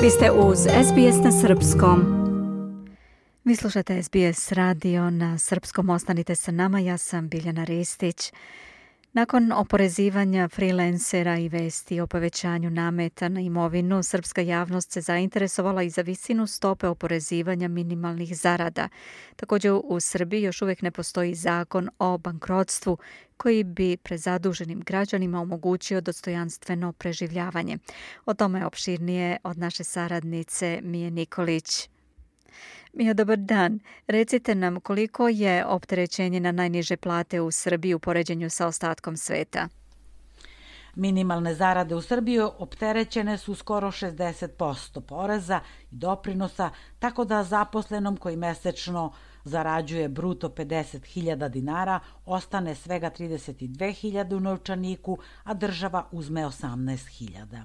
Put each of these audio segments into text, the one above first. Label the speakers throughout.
Speaker 1: Vi ste uz SBS na srpskom. Vi slušate SBS radio na srpskom. Ostanite sa nama, ja sam Biljana Ristić. Nakon oporezivanja freelancera i vesti o povećanju nameta na imovinu, srpska javnost se zainteresovala i za visinu stope oporezivanja minimalnih zarada. Također u Srbiji još uvijek ne postoji zakon o bankrotstvu koji bi prezaduženim građanima omogućio dostojanstveno preživljavanje. O tome opširnije od naše saradnice Mije Nikolić. Mija, dobar dan. Recite nam koliko je opterećenje na najniže plate u Srbiji u poređenju sa ostatkom sveta?
Speaker 2: Minimalne zarade u Srbiji opterećene su skoro 60% poreza i doprinosa, tako da zaposlenom koji mesečno zarađuje bruto 50.000 dinara ostane svega 32.000 u novčaniku, a država uzme 18.000.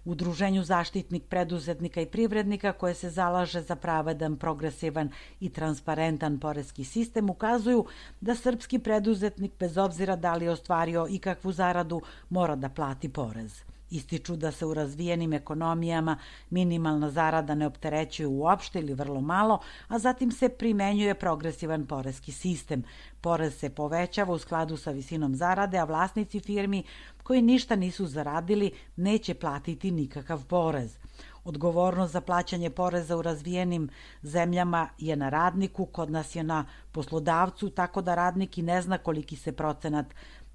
Speaker 2: Udruženju Zaštitnik preduzetnika i privrednika, koje se zalaže za pravedan, progresivan i transparentan poreski sistem, ukazuju da srpski preduzetnik, bez obzira da li je ostvario ikakvu zaradu, mora da plati porez. Ističu da se u razvijenim ekonomijama minimalna zarada ne opterećuje uopšte ili vrlo malo, a zatim se primenjuje progresivan poreski sistem. Porez se povećava u skladu sa visinom zarade, a vlasnici firmi koji ništa nisu zaradili neće platiti nikakav porez. Odgovornost za plaćanje poreza u razvijenim zemljama je na radniku, kod nas je na poslodavcu, tako da radnik i ne zna koliki se procenat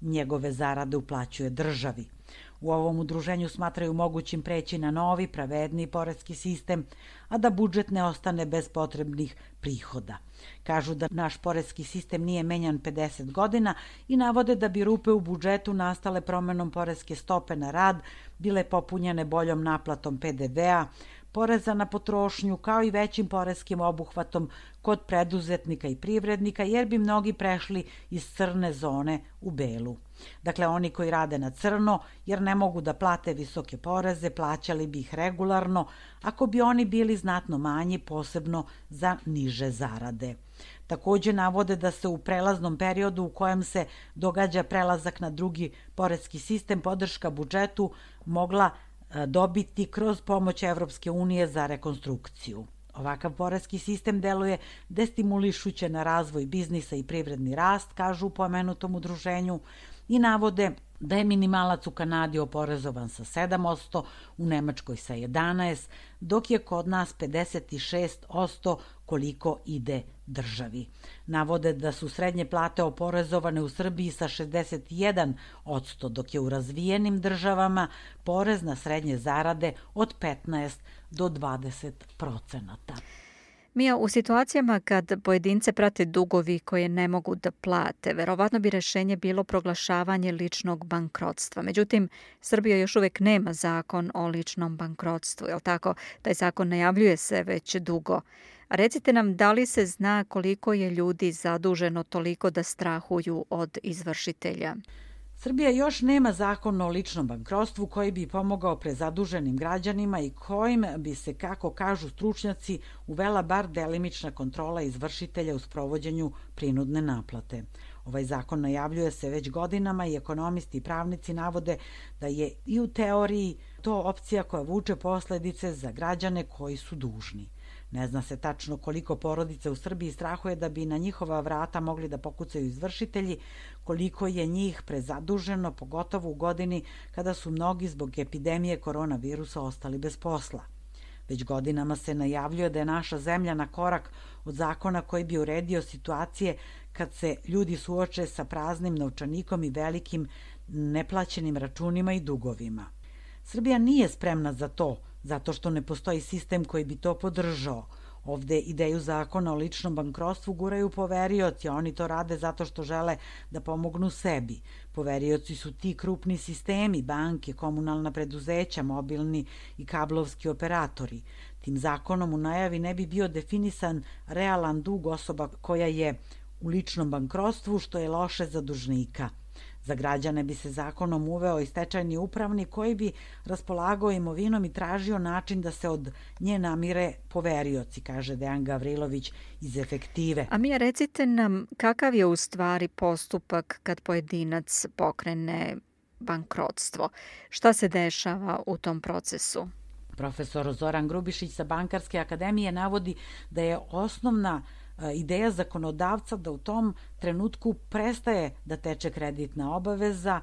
Speaker 2: njegove zarade uplaćuje državi. U ovom udruženju smatraju mogućim preći na novi, pravedniji poreski sistem, a da budžet ne ostane bez potrebnih prihoda. Kažu da naš poreski sistem nije menjan 50 godina i navode da bi rupe u budžetu nastale promenom poreske stope na rad bile popunjene boljom naplatom PDV-a, poreza na potrošnju, kao i većim poreskim obuhvatom kod preduzetnika i privrednika, jer bi mnogi prešli iz crne zone u belu. Dakle, oni koji rade na crno, jer ne mogu da plate visoke poreze, plaćali bi ih regularno, ako bi oni bili znatno manji, posebno za niže zarade. Također navode da se u prelaznom periodu u kojem se događa prelazak na drugi poreski sistem, podrška budžetu mogla dobiti kroz pomoć Evropske unije za rekonstrukciju. Ovakav poreski sistem deluje destimulišuće na razvoj biznisa i privredni rast, kažu u pomenutom udruženju, i navode da je minimalac u Kanadi oporezovan sa 7%, u Nemačkoj sa 11%, dok je kod nas 56% koliko ide državi. Navode da su srednje plate oporezovane u Srbiji sa 61%, dok je u razvijenim državama porez na srednje zarade od 15 do 20%.
Speaker 1: Mija, u situacijama kad pojedince prate dugovi koje ne mogu da plate, verovatno bi rešenje bilo proglašavanje ličnog bankrotstva. Međutim, Srbija još uvijek nema zakon o ličnom bankrotstvu, jel tako? Taj zakon najavljuje se već dugo. A recite nam, da li se zna koliko je ljudi zaduženo toliko da strahuju od izvršitelja?
Speaker 2: Srbija još nema zakon o ličnom bankrotstvu koji bi pomogao prezaduženim građanima i kojim bi se, kako kažu stručnjaci, uvela bar delimična kontrola izvršitelja u sprovođenju prinudne naplate. Ovaj zakon najavljuje se već godinama i ekonomisti i pravnici navode da je i u teoriji to opcija koja vuče posledice za građane koji su dužni. Ne zna se tačno koliko porodica u Srbiji strahuje da bi na njihova vrata mogli da pokucaju izvršitelji, koliko je njih prezaduženo, pogotovo u godini kada su mnogi zbog epidemije koronavirusa ostali bez posla. Već godinama se najavljuje da je naša zemlja na korak od zakona koji bi uredio situacije kad se ljudi suoče sa praznim novčanikom i velikim neplaćenim računima i dugovima. Srbija nije spremna za to, zato što ne postoji sistem koji bi to podržao. Ovde ideju zakona o ličnom bankrotstvu guraju poverioci, a oni to rade zato što žele da pomognu sebi. Poverioci su ti krupni sistemi, banke, komunalna preduzeća, mobilni i kablovski operatori. Tim zakonom u najavi ne bi bio definisan realan dug osoba koja je u ličnom bankrotstvu, što je loše za dužnika. Za građane bi se zakonom uveo i stečajni upravnik koji bi raspolagao imovinom i tražio način da se od nje namire poverioci, kaže Dejan Gavrilović iz Efektive.
Speaker 1: A Mija, recite nam kakav je u stvari postupak kad pojedinac pokrene bankrotstvo? Šta se dešava u tom procesu?
Speaker 2: Profesor Zoran Grubišić sa Bankarske akademije navodi da je osnovna ideja zakonodavca da u tom trenutku prestaje da teče kreditna obaveza,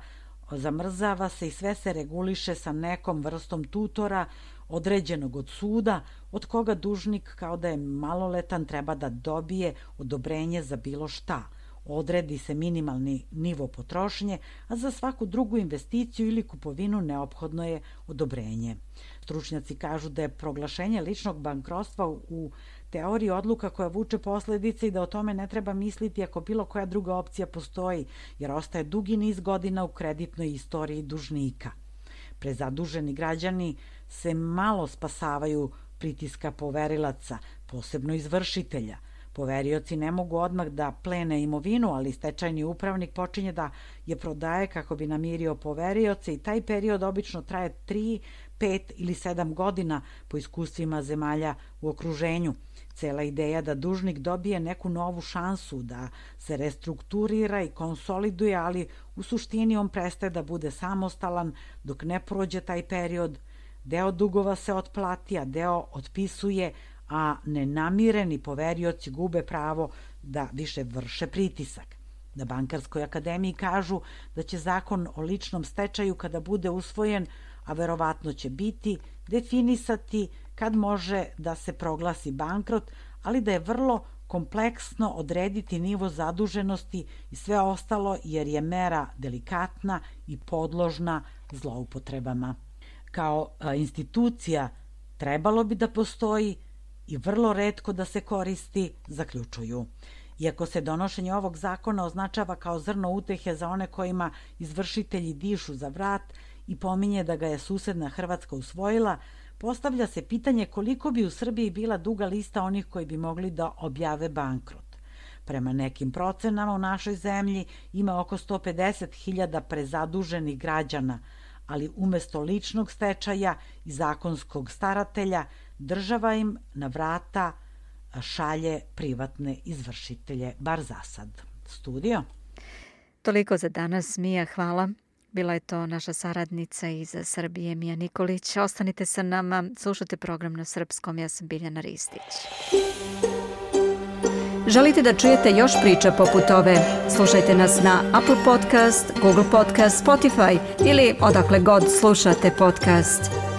Speaker 2: zamrzava se i sve se reguliše sa nekom vrstom tutora određenog od suda, od koga dužnik kao da je maloletan treba da dobije odobrenje za bilo šta. Odredi se minimalni nivo potrošnje, a za svaku drugu investiciju ili kupovinu neophodno je odobrenje. Stručnjaci kažu da je proglašenje ličnog bankrotstva u teoriji odluka koja vuče posledice i da o tome ne treba misliti ako bilo koja druga opcija postoji, jer ostaje dugi niz godina u kreditnoj istoriji dužnika. Prezaduženi građani se malo spasavaju pritiska poverilaca, posebno izvršitelja. Poverioci ne mogu odmah da plene imovinu, ali stečajni upravnik počinje da je prodaje kako bi namirio poverioce i taj period obično traje 3, 5 ili 7 godina po iskustvima zemalja u okruženju. Cela ideja da dužnik dobije neku novu šansu, da se restrukturira i konsoliduje, ali u suštini on prestaje da bude samostalan dok ne prođe taj period. Deo dugova se otplati, a deo otpisuje, a nenamireni poverioci gube pravo da više vrše pritisak. Na Bankarskoj akademiji kažu da će zakon o ličnom stečaju kada bude usvojen, a verovatno će biti, definisati kad može da se proglasi bankrot, ali da je vrlo kompleksno odrediti nivo zaduženosti i sve ostalo jer je mera delikatna i podložna zloupotrebama. Kao institucija trebalo bi da postoji i vrlo retko da se koristi, zaključuju. Iako se donošenje ovog zakona označava kao zrno utehe za one kojima izvršitelji dišu za vrat i pominje da ga je susedna Hrvatska usvojila, postavlja se pitanje koliko bi u Srbiji bila duga lista onih koji bi mogli da objave bankrot. Prema nekim procenama u našoj zemlji ima oko 150.000 prezaduženih građana, ali umesto ličnog stečaja i zakonskog staratelja, država im na vrata šalje privatne izvršitelje, bar za sad. Studio?
Speaker 1: Toliko za danas, Mija, hvala. Bila je to naša saradnica iz Srbije, Mija Nikolić. Ostanite sa nama, slušajte program na srpskom. Ja sam Biljana Ristić. Želite da čujete još priča poput ove? Slušajte nas na Apple Podcast, Google Podcast, Spotify ili odakle god slušate podcast.